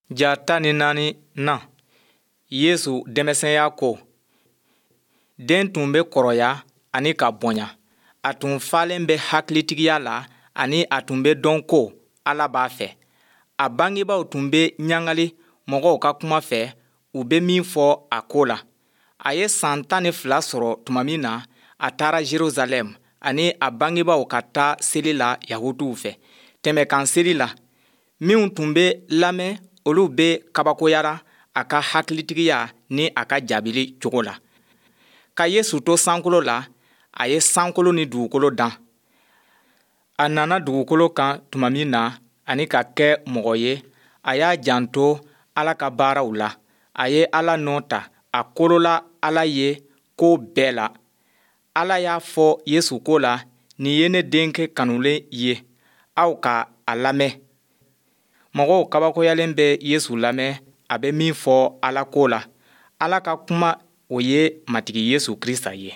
Ja 14 na, Yesu denmisɛnya ko. Den tun bɛ kɔrɔya ani ka bonya. A tun falen bɛ hakilitigiya la ani a tun bɛ dɔn ko Ala b'a fɛ. A bangebaaw tun bɛ ɲagali mɔgɔw ka kuma fɛ, u bɛ min fɔ a ko la. A ye san 12 sɔrɔ tuma min na, a taara Jerusalɛm ani a bangebaaw ka taa seli la Yahutuw fɛ, Tɛmɛnkan seli la. Minw tun bɛ lamɛn, olu bɛɛ kabakoyara a ka hakilitigiya ni a ka jaabili cogo la. Ka Yesu to sankolo la, a ye sankolo ni dugukolo dan. A nana dugukolo kan tuma min na ani ka kɛ mɔgɔ ye, a y'a janto Ala ka baaraw la. A ye Ala nɔ ta, a kolola Ala ye ko bɛɛ la. Ala y'a fɔ Yesu ko la, nin ye ne denkɛ kanulen ye, aw ka a lamɛn. Mɔgɔw kabakoyalen bɛ Yesu lamɛn a bɛ min fɔ Ala ko la. Ala ka kuma, o ye Matigi Yesu Krista ye.